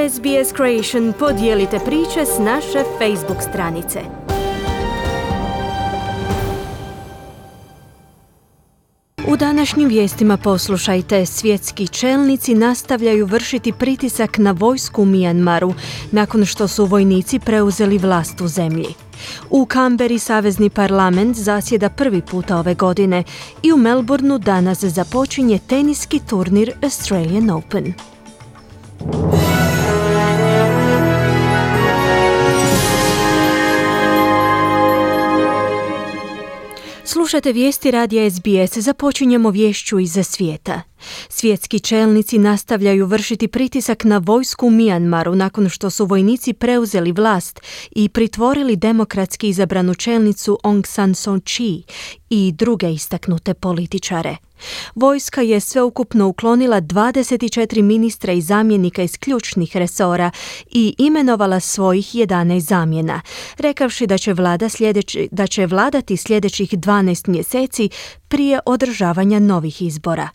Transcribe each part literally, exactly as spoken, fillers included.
S B S Creation podijelite priče s naše Facebook stranice. U današnjim vijestima poslušajte, svjetski čelnici nastavljaju vršiti pritisak na vojsku u Mijanmaru nakon što su vojnici preuzeli vlast u zemlji. U Kamberi savezni parlament zasjeda prvi puta ove godine i u Melbourneu danas započinje teniski turnir Australian Open. Slušate vijesti radija S B S, započinjemo vješću iz svijeta. Svjetski čelnici nastavljaju vršiti pritisak na vojsku u Mijanmaru nakon što su vojnici preuzeli vlast i pritvorili demokratski izabranu čelnicu Aung San Suu Kyi i druge istaknute političare. Vojska je sveukupno uklonila dvadeset četiri ministra i zamjenika iz ključnih resora i imenovala svojih jedanaest zamjena, rekavši da će, vlada sljedeći, da će vladati sljedećih dvanaest mjeseci prije održavanja novih izbora.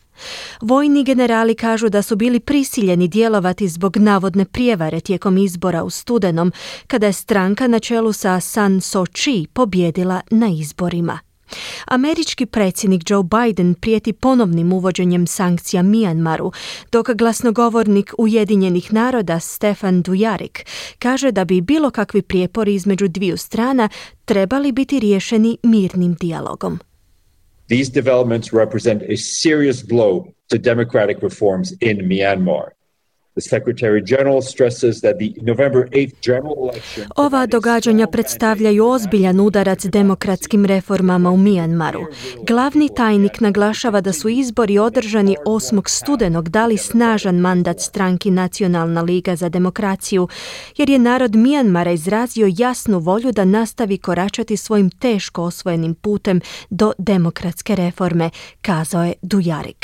Vojni generali kažu da su bili prisiljeni djelovati zbog navodne prijevare tijekom izbora u studenom, kada je stranka na čelu sa San Suu Kyi pobjedila na izborima. Američki predsjednik Joe Biden prijeti ponovnim uvođenjem sankcija Mijanmaru, dok glasnogovornik Ujedinjenih naroda Stefan Dujarric kaže da bi bilo kakvi prijepori između dviju strana trebali biti riješeni mirnim dijalogom. These developments represent a serious blow to democratic reforms in Myanmar. The Secretary General stresses that the November eighth general election... Ova događanja predstavljaju ozbiljan udarac demokratskim reformama u Mijanmaru. Glavni tajnik naglašava da su izbori održani osmog studenog dali snažan mandat stranki Nacionalna liga za demokraciju, jer je narod Mijanmara izrazio jasnu volju da nastavi koračati svojim teško osvojenim putem do demokratske reforme, kazao je Dujarric.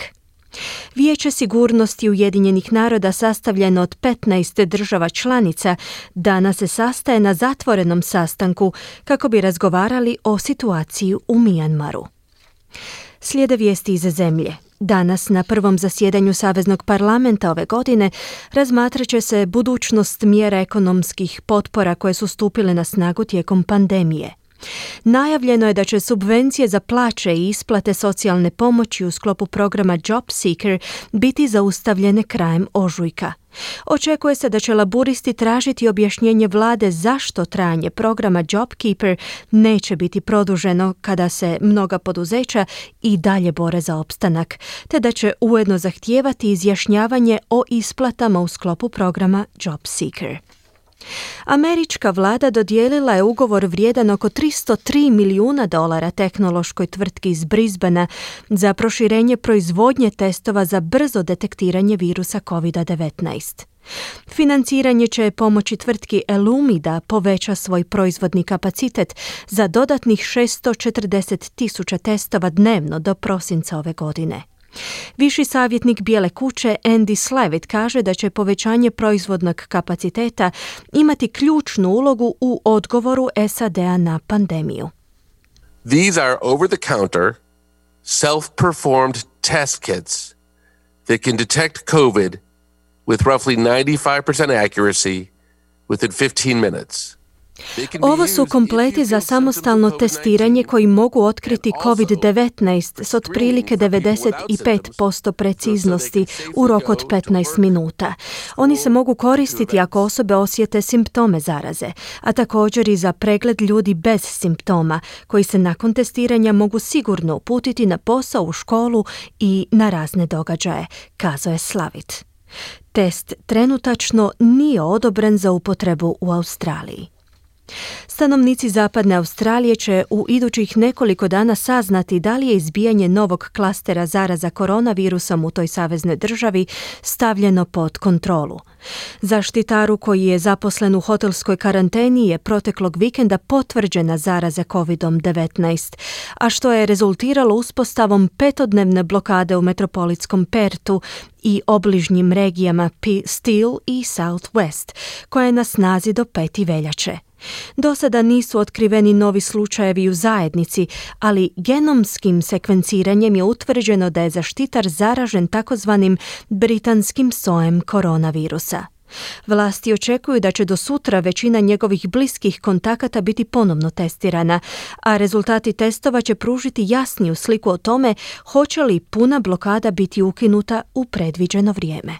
Vijeće sigurnosti Ujedinjenih naroda, sastavljeno od petnaest država članica, danas se sastaje na zatvorenom sastanku kako bi razgovarali o situaciji u Mijanmaru. Slijede vijesti iz zemlje. Danas na prvom zasjedanju Saveznog parlamenta ove godine razmatrat će se budućnost mjera ekonomskih potpora koje su stupile na snagu tijekom pandemije. Najavljeno je da će subvencije za plaće i isplate socijalne pomoći u sklopu programa Job Seeker biti zaustavljene krajem ožujka. Očekuje se da će laburisti tražiti objašnjenje vlade zašto trajanje programa JobKeeper neće biti produženo kada se mnoga poduzeća i dalje bore za opstanak, te da će ujedno zahtijevati izjašnjavanje o isplatama u sklopu programa Job Seeker. Američka vlada dodijelila je ugovor vrijedan oko tristo tri milijuna dolara tehnološkoj tvrtki iz Brisbanea za proširenje proizvodnje testova za brzo detektiranje virusa covid devetnaest. Financiranje će pomoći tvrtki Elumi da poveća svoj proizvodni kapacitet za dodatnih šesto četrdeset tisuća testova dnevno do prosinca ove godine. Viši savjetnik Bijele kuće Andy Slavitt kaže da će povećanje proizvodnog kapaciteta imati ključnu ulogu u odgovoru S A D-a na pandemiju. These are over-the-counter, self-performed test kits that can detect COVID with roughly ninety-five percent accuracy within fifteen minutes. Ovo su kompleti za samostalno testiranje koji mogu otkriti covid devetnaest s otprilike devedeset pet posto preciznosti u roku od petnaest minuta. Oni se mogu koristiti ako osobe osjete simptome zaraze, a također i za pregled ljudi bez simptoma, koji se nakon testiranja mogu sigurno uputiti na posao, u školu i na razne događaje, kazao je Slavitt. Test trenutačno nije odobren za upotrebu u Australiji. Stanovnici zapadne Australije će u idućih nekoliko dana saznati da li je izbijanje novog klastera zaraza koronavirusom u toj saveznoj državi stavljeno pod kontrolu. Zaštitaru koji je zaposlen u hotelskoj karanteni je proteklog vikenda potvrđena zaraza covid devetnaest, a što je rezultiralo uspostavom petodnevne blokade u metropolitskom Pertu i obližnjim regijama Steel i South West, koja je na snazi do pete veljače. Do sada nisu otkriveni novi slučajevi u zajednici, ali genomskim sekvenciranjem je utvrđeno da je zaštitar zaražen takozvanim britanskim sojem koronavirusa. Vlasti očekuju da će do sutra većina njegovih bliskih kontakata biti ponovno testirana, a rezultati testova će pružiti jasniju sliku o tome hoće li puna blokada biti ukinuta u predviđeno vrijeme.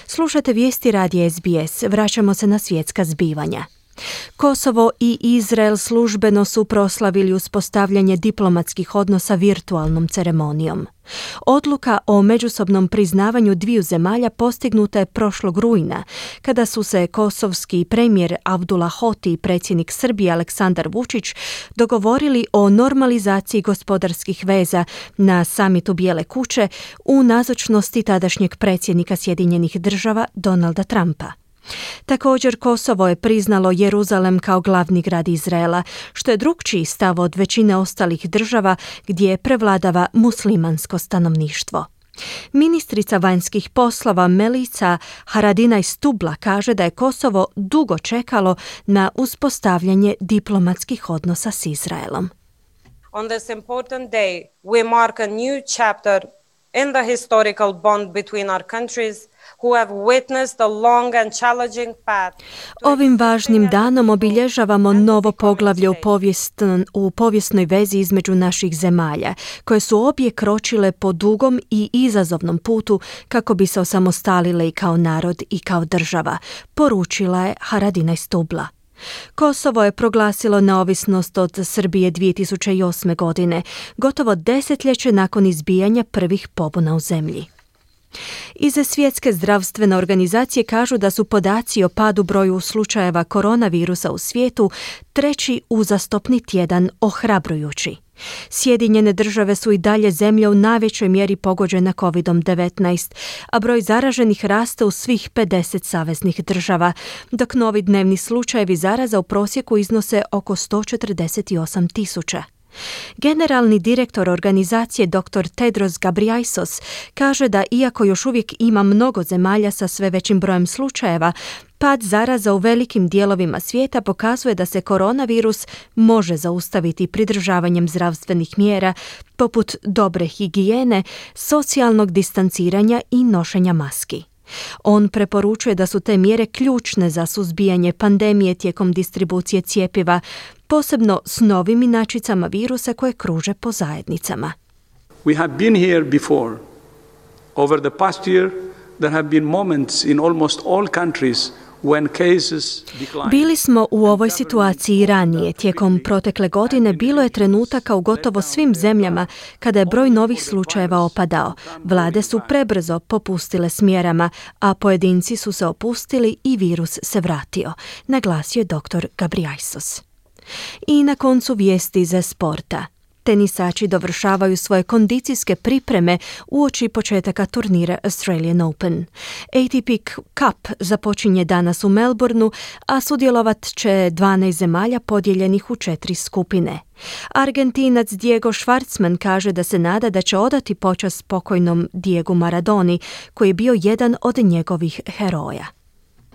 Slušate vijesti radija S B S, vraćamo se na svjetska zbivanja. Kosovo i Izrael službeno su proslavili uspostavljanje diplomatskih odnosa virtualnom ceremonijom. Odluka o međusobnom priznavanju dviju zemalja postignuta je prošlog rujna, kada su se kosovski premijer Abdullah Hoti i predsjednik Srbije Aleksandar Vučić dogovorili o normalizaciji gospodarskih veza na samitu Bijele kuće u nazočnosti tadašnjeg predsjednika Sjedinjenih Država Donalda Trumpa. Također, Kosovo je priznalo Jeruzalem kao glavni grad Izraela, što je drukčiji stav od većine ostalih država gdje prevladava muslimansko stanovništvo. Ministrica vanjskih poslova Melica Haradinaj Stubla kaže da je Kosovo dugo čekalo na uspostavljanje diplomatskih odnosa s Izraelom. On this important day, we mark a new chapter in the historical bond between our countries. Ovim važnim danom obilježavamo novo poglavlje u, povijest, u povijesnoj vezi između naših zemalja, koje su obje kročile po dugom i izazovnom putu kako bi se osamostalile i kao narod i kao država, poručila je Haradinaj Stubla. Kosovo je proglasilo neovisnost od Srbije dvije tisuće osme. godine, gotovo desetljeće nakon izbijanja prvih pobuna u zemlji. Iz Svjetske zdravstvene organizacije kažu da su podaci o padu broju slučajeva koronavirusa u svijetu treći uzastopni tjedan ohrabrujući. Sjedinjene države su i dalje zemlje u najvećoj mjeri pogođena kovid devetnaest, a broj zaraženih raste u svih pedeset saveznih država, dok novi dnevni slučajevi zaraza u prosjeku iznose oko sto četrdeset osam tisuća. Generalni direktor organizacije doktor Tedros Ghebreyesus kaže da iako još uvijek ima mnogo zemalja sa sve većim brojem slučajeva, pad zaraza u velikim dijelovima svijeta pokazuje da se koronavirus može zaustaviti pridržavanjem zdravstvenih mjera poput dobre higijene, socijalnog distanciranja i nošenja maski. On preporučuje da su te mjere ključne za suzbijanje pandemije tijekom distribucije cjepiva, posebno s novim inačicama virusa koje kruže po zajednicama. We have been here before. Over the past year, there have been moments in almost all countries when cases decline. Bili smo u ovoj situaciji i ranije. Tijekom protekle godine bilo je trenutaka u gotovo svim zemljama kada je broj novih slučajeva opadao. Vlade su prebrzo popustile s mjerama, a pojedinci su se opustili i virus se vratio, naglasio je doktor Ghebreyesus. I na koncu vijesti za sporta. Tenisači dovršavaju svoje kondicijske pripreme uoči početaka turnira Australian Open. A T P Cup započinje danas u Melbourneu, a sudjelovat će dvanaest zemalja podijeljenih u četiri skupine. Argentinac Diego Schwartzman kaže da se nada da će odati počast pokojnom Diegu Maradoni, koji je bio jedan od njegovih heroja.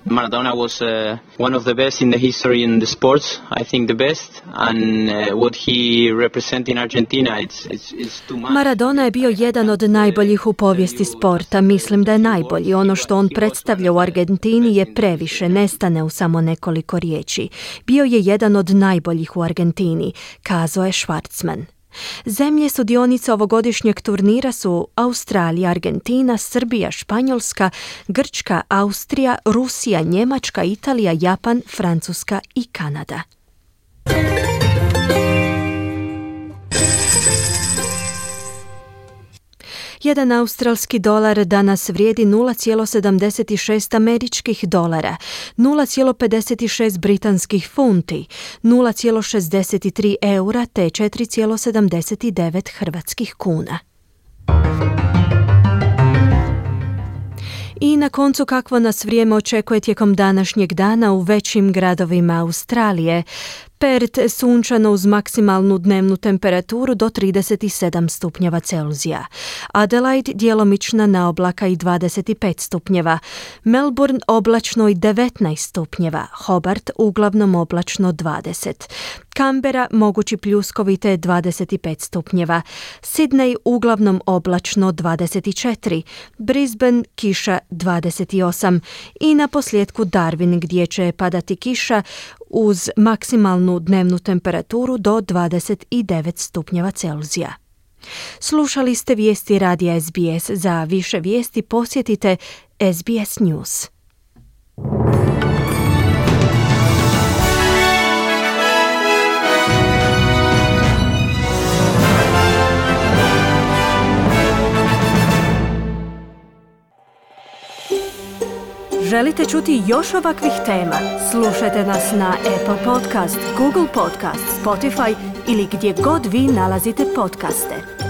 Maradona was uh, one of the best in the history in the sports, I think the best, and uh, what he represents in Argentina, it's, it's, it's too much. Maradona je bio jedan od najboljih u povijesti sporta, mislim da je najbolji. Ono što on predstavlja u Argentini je previše, nestane u samo nekoliko riječi. Bio je jedan od najboljih u Argentini, kazao je Schwartzman. Zemlje sudionice ovogodišnjeg turnira su Australija, Argentina, Srbija, Španjolska, Grčka, Austrija, Rusija, Njemačka, Italija, Japan, Francuska i Kanada. Jedan australski dolar danas vrijedi nula zarez sedamdeset šest američkih dolara, nula zarez pedeset šest britanskih funti, nula zarez šezdeset tri eura te četiri zarez sedamdeset devet hrvatskih kuna. I na koncu kakvo nas vrijeme očekuje tijekom današnjeg dana u većim gradovima Australije. Perth sunčano uz maksimalnu dnevnu temperaturu do trideset sedam stupnjeva Celzija. Adelaide djelomična na oblaka i dvadeset pet stupnjeva. Melbourne oblačno i devetnaest stupnjeva. Hobart uglavnom oblačno dvadeset. Canberra mogući pljuskovi te dvadeset pet stupnjeva. Sydney uglavnom oblačno dvadeset četiri. Brisbane kiša dvadeset osam. I na posljedku Darwin gdje će padati kiša uz maksimalnu dnevnu temperaturu do dvadeset devet stupnjeva Celzija. Slušali ste vijesti radija S B S. Za više vijesti posjetite S B S News. Želite čuti još ovakvih tema? Slušajte nas na Apple Podcast, Google Podcast, Spotify ili gdje god vi nalazite podcaste.